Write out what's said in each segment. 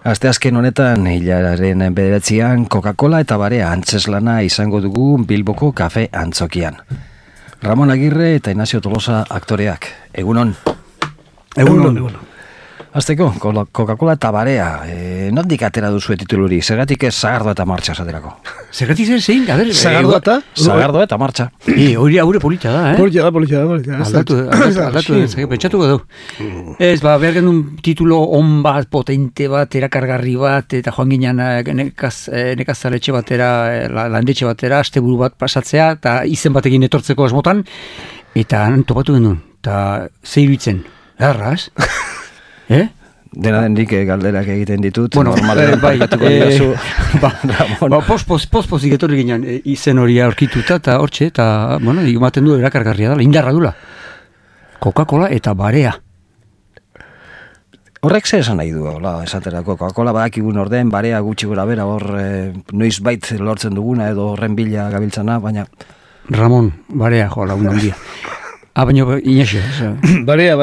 Asteazken honetan, hilaren 9an, Coca-Cola eta Barea antzeslana izango dugu Bilboko kafe antzokian. Ramon Agirre eta Ignacio Tolosa aktoreak. Egunon. Egunon. Azteko, Coca-Cola eta Barea. Nondik atera duzu tituluri? Zergatik ez Sagardoa eta Martxa esaterako? Zergatik zer zein? Sagardoa eta Martxa. Hori aurre polita da, Polita da. Aldatu, pentsatuko du. Ez, behar genuen titulo on bat, potente bat, erakargarri bat, eta joan ginen nekazaletxe batera, landetxe batera, asteburu bat pasatzea, eta izen batekin etortzeko asmotan, eta topatu genuen, eta zeiruitzen, erraz? Dena dendik galderak egiten ditut. Bueno, bai, pospozik etorri ginen izen hori aurkituta eta hortxe, eta, bueno, ematen du erakargarria da, indarra dula. Coca-Cola eta Barea. Horrek ze esan nahi du, esaterako. Coca-Cola badakigun orden, Barea gutxi gora bera, hor noiz bait lortzen duguna edo horren bila gabiltzana, baina... Ramon, Barea, joa lagun handia. Baina Inaxio. Barea,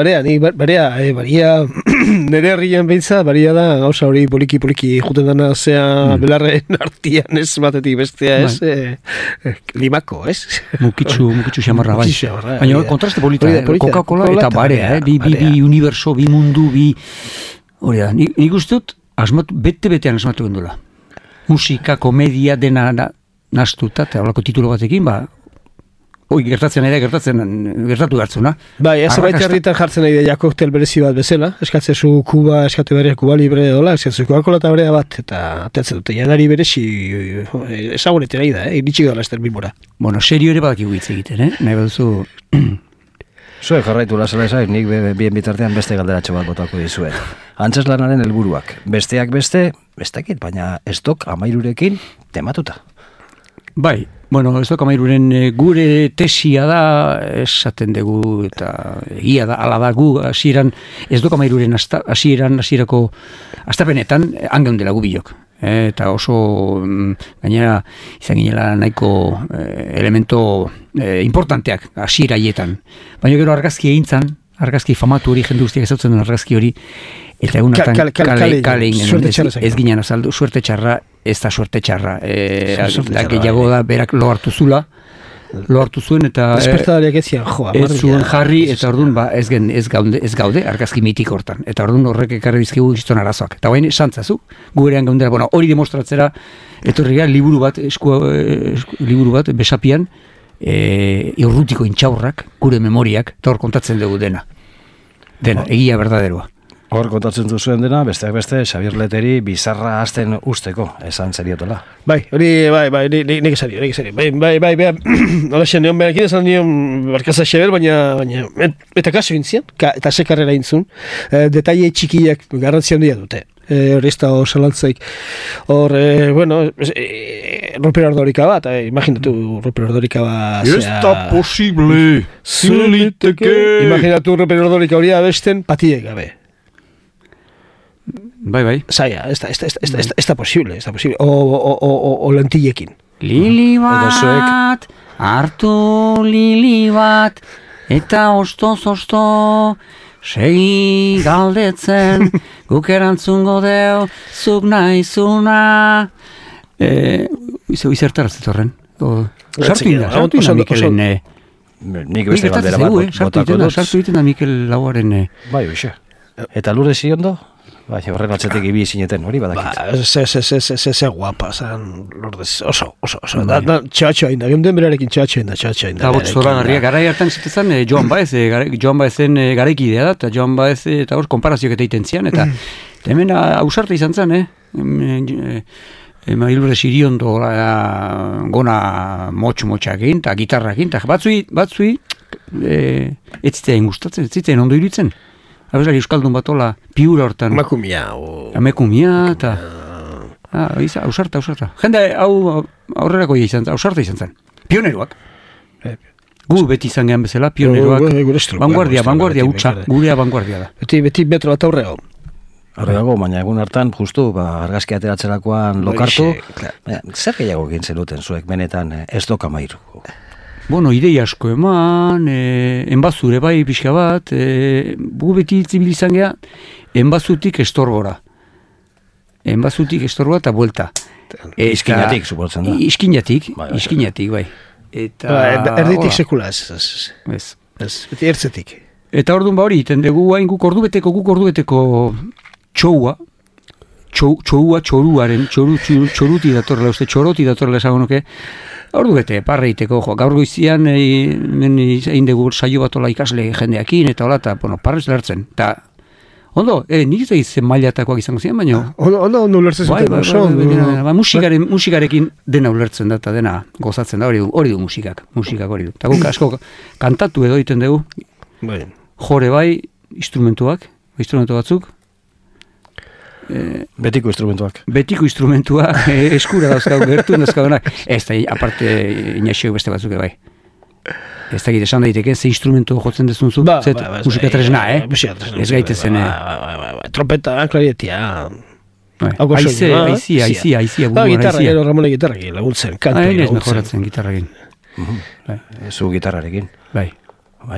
nire herrian behitza, Barea da, gauza hori poliki juten dana zea belarren artian ez batetik bestea ez, limako, ez? Mukitxu xamarra, bai. Baina kontraste polita, Coca-Cola eta Barea, bi universo, bi mundu, hori da, nik ustut, bete-betean asmatu gendula. Musika, komedia, dena nastuta, eta horako titulo batekin, gertatu hartzuna. Bai, ez baita herritan jartzen nahi da koktel berezi bat bezala, eskatzezu Kuba, eskatu berria Kuba Libre dola, eskatzezu Coca-Cola eta Barea bat, eta ateatzen dute, janari berezi ezagunete nahi da, iritsi gara ester bilbora. Bueno, serio ere badakigu hitz egiten, nahi baduzu... Zuek jarraitu lasela esaik, nik bien bitartean beste galderatxo bat botako dizuet. Antzeslanaren helburuak, besteak bestekit, baina ez dok 13rekin tematuta. Bai, bueno, ez dok 13ren gure tesia da, esaten dugu, eta egia da, ala da gu, hasieran, ez dok 13ren hasierako astapenetan, angeundela gu bilok. Eta oso, gainera, izan ginela nahiko elemento importanteak hasieraietan. Baina gero argazki egintzan, argazki famatu hori, jende guztiak ezautzen duen argazki hori, eta egunatan kale ez ginen azaldu, suerte txarra, ez da suerte txarra. Gehiago da, berak lo hartu zuen, eta despertadariak ezian, ez zuen jarri, eta orduan ez gaude argazki mitik hortan. Eta orduan horrek ekarri bizkigu izton arazoak. Eta baina santzazu, gurean gaundera, bueno, hori demostratzera, etorria liburu bat, besapian, irrutiko intxaurrak, gure memoriak, eta hor kontatzen dugu dena, egia berdaderoa. Hor kontatzen duzuen dena, besteak beste, Xabier Leteri bizarra hasten usteko, esan zeriotola. Bai, nik esario. Bai, hola xen, neon behakin esan nion barkaza Xabier, baina eta kaso intzian, eta sekarrera intzun, detaile txikiak garrantzia handia dute. Hori ez da osalantzaik. Hor, Ruper Ordorika bat, imaginatu Ruper Ordorika bat... Ez da posible, zeliteke... Imaginatu Ruper Ordorika hori abesten patiek gabe. Bai. Zaila, ez da posible. O lentillekin. Lili bat, hartu lili bat, eta ostoz, segi galdetzen, guk erantzungo deu, zuk nahizuna. Izertaraz horren. Sartu ina Mikelen. Nik beste galdera bat botako dut. Sartu iten da Mikel Lauaren. Bai, oixe. Eta lurre ziondo? Bai, horren atzetik ibi zineten, hori badakit. Se guapa, zan Lourdes, oso. Txatxo hain da, geunden berarekin txatxo hain da. Eta bot zoragarria, garai hartan zitezan Joan Baezen garaikidea da, eta Joan Baez eta hor konparazioak eta iten zian, eta hemen ausarte izan zen, Mailure Siriondo gona motxakin, eta gitarrakin, eta batzui ez zitzen gustatzen, ez zitzen ondo iruditzen. Abeslari euskaldun batola piura hortan. Amekumia, eta... Ausarta. Jende, aurrerako izan zen, ausarta izan zen. Pioneroak. Gu beti izan gehan bezala, pioneroak. Vanguardia utxa, gurea vanguardia da. Beti metro bat aurrego. Horregago, baina egun hartan, justu, argazki ateratzerakoan lokartu. Zer gehiago egin zenuten zuek, benetan, ez doka mairu? Bueno, idei asko eman, enbazure bai pixka bat, gu beti zibilizan geha, enbazutik estorbora. enbazutik estorroa eta buelta. Iskinatik, suposatzen da. Iskinatik, bai. Eta... Erditik sekula, ez. Beti ertzetik. Eta orduan hori, iten dugu hain guk ordubeteko txoua, txoruaren, txoruti datorrela, txoroti datorrela esango nuke, ordubete, parreiteko, gaur goizian, egin dugu saio bat ola ikasle jendeakin, eta hola, eta, parrez lertzen, eta, ondo, nik ez egin mailatakoak izango ziren, baina... Ondo ulertzen zuten, musikarekin dena ulertzen da, eta dena gozatzen da, hori du musikak hori du. Eta guk asko kantatu edo egiten dugu, jore bai, instrumentu batzuk, Betiko instrumentuak eskura dauzkagu, gertuen dauzkagunak. Ez da, aparte, inaxeok beste batzuk bai. Ez da, esan daiteke, ze instrumentu jotzen dezunzu? Musika tresna, Ez gaitezen. Trompeta, klarietia. Aizia. Gitarra, gero Ramone gitarrakin, laguntzen, kantu. Ez mejoratzen gitarrakin. Zu gitarrarekin. Bai,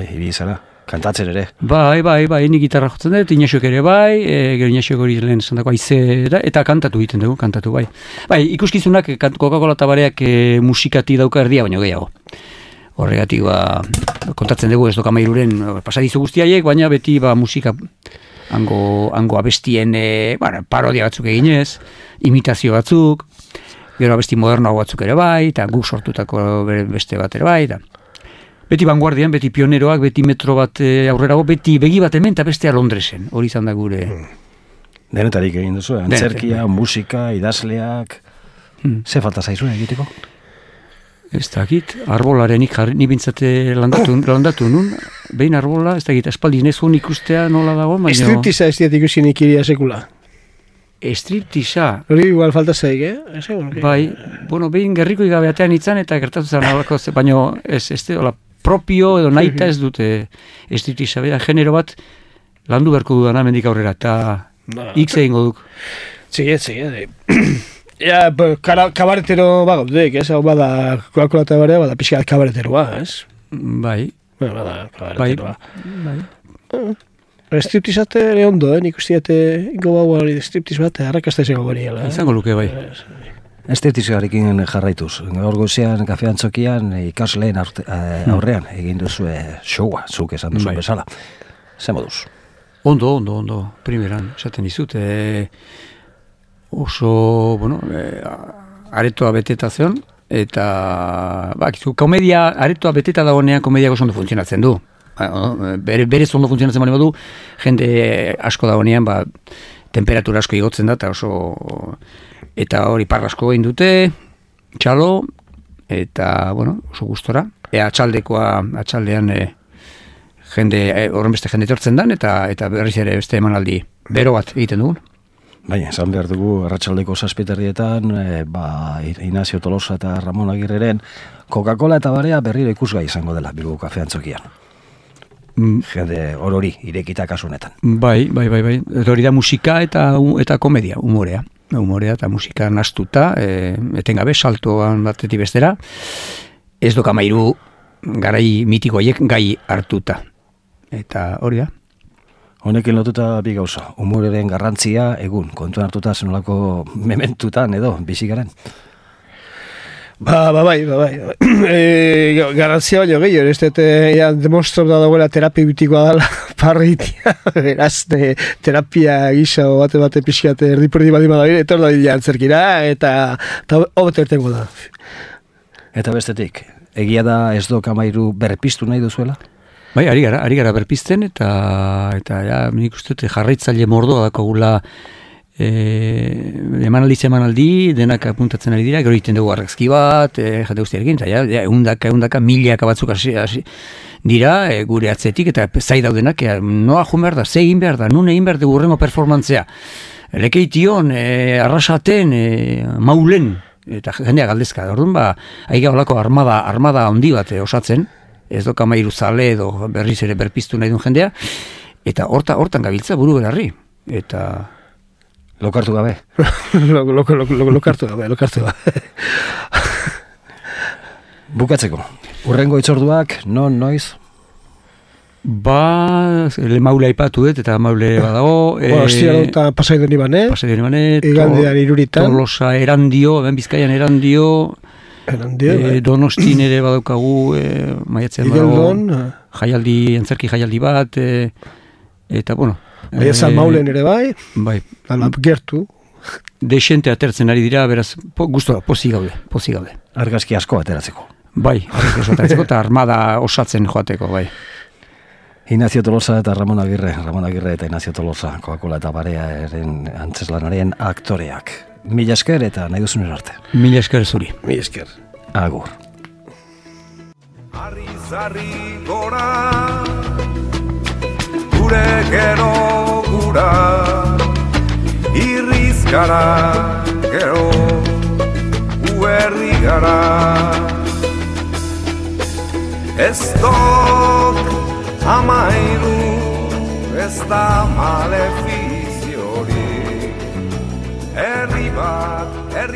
hiri izala. Kantatzen ere. Bai, ni gitarra jotzen dut, inaxok ere bai, gero inaxok hori lehen zandako aizera, eta kantatu egiten dugu, bai. Bai, ikuskizunak, Coca-Cola tabareak musikati dauka erdia, baina gehiago. Horregatik, kontatzen dugu ez doka mairuren pasadizu guztiaiek, baina beti musika hango abestien parodia batzuk eginez, imitazio batzuk, gero abesti moderno batzuk ere bai, eta guk sortutako beste bat ere bai, eta... Beti vanguardian, beti pioneroak, beti metro bat aurrerago, beti begi bat hemen eta bestea Londresen. Hori izan da gure... Denetarik egin duzu, antzerkia, musika, idazleak... Ze falta zaizuen egiteko? Ez dakit, arbolarenik jarri, ni bintzate landatu nun, behin arbola, ez dakit, espaldi nezun ikustea nola dago, baina... Striptiza ez diat ikusi nik iria sekula. Striptiza? Hori igual falta zaik, Bai, behin gerriko igabeatean itzan eta gertatu zan alako, baina ez hola, propio edo naita ez dute striptiza, genero bat landu berko dudana mendik aurrera, eta X egingo duk. Txige. Kabaretero bagotek, hau bada Coca-Cola tabarea, bada pixka kabareteroa, ez? Bai. Bada kabareteroa. Striptizate ere ondo, nik usteate ingo bau striptiz bat, arrakasta izango bariela. Izango luke, bai. Estetizarekin jarraituz. Gaur goizean, kafean txokian, ikasleen aurrean egin duzu showa, zuk esan duzu bezala. Ze moduz? Ondo, primeran, esaten dizut. Oso, aretoa beteta zion, eta, komedia, aretoa beteta dagoenean, komedia oso ondo funtzionatzen du. Berez ondo funtzionatzen bali badu, jende asko dagoenean, temperatura asko igotzen da, eta oso... Eta hori parrasko egin dute, txalo, eta, oso gustora. Atxaldean horren beste jende tortzen dan, eta berriz ere beste emanaldi bero bat egiten dugun. Baina, esan behar dugu, arratsaldeko 7:00 Ignacio Tolosa eta Ramon Agirreren Coca-Cola eta barea berriro ikusgai izango dela Bilbo kafean txokian. Jende hori irekita kasunetan. Bai. Eta hori da musika eta komedia, umorea eta musika nastuta, etengabe, saltoan batetik bestera, ez doka mairu garai mitikoiek gai hartuta. Eta hori da. Honekin lotuta bi gauza, umoreren garrantzia egun, kontuan hartuta zenolako mementutan edo, bizikaren. Bai. Garantzia baino gehiago, ez dut demonstratu da dagoela terapia bitikoa dela parritia, beraz, terapia gisa bate pixkat erdiperdi badi badabire, eta hor da dila antzerkira, eta hobeto ertengo da. Eta bestetik, egia da ez doka mairu berpiztu nahi duzuela? Bai, ari gara berpizten, eta nik uste jarraitzaile mordoa dakogula emanaldi, denak apuntatzen ari dira, gero egiten dugu argazki bat, jate guztiarekin, eta eundaka, milaka batzuk dira, gure atzetik, eta zai daudenak, noa jun behar da, ze egin behar da, nun egin behar dugu urrengo performantzea, lekeition, arrasaten, maulen, eta jendea galdezka, orduan aiga holako armada handi bat osatzen, ez doka mairu zale edo berriz ere berpiztu nahi duen jendea, eta hortan gabiltza buru belarri, eta... Lokartu gabe. Lokartu gabe. Bukatzeko, urrengo itzorduak, noiz? Le maule aipatu dut, eta maule badago. Ostia eta Pasaidean Ibane. Pasaidean Ibane. Igandean Iruritan. Tolosa Erandio, ben Bizkaian Erandio. Donostin ere badaukagu, maiatzean badago. Antzerki jaialdi bat, eta bueno. Baina Maulen ere bai. Bai. Gertu. Desente atertzen ari dira, beraz, guztora, pozik gaude. Argazki asko ateratzeko. Bai, argazki asko ateratzeko, eta armada osatzen joateko, bai. Ignacio Tolosa eta Ramon Agirre eta Ignacio Tolosa, Coca-Cola eta Barearen antzeslanaren aktoreak. Mila esker eta nahi duzun arte. Mila esker zuri. Mila esker. Agur. Arri gora, gure gero gura, irrizkara gero, uerri gara. Ez dok amairu, ez da malefiziori, herri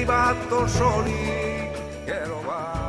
bat osorik, gero bat.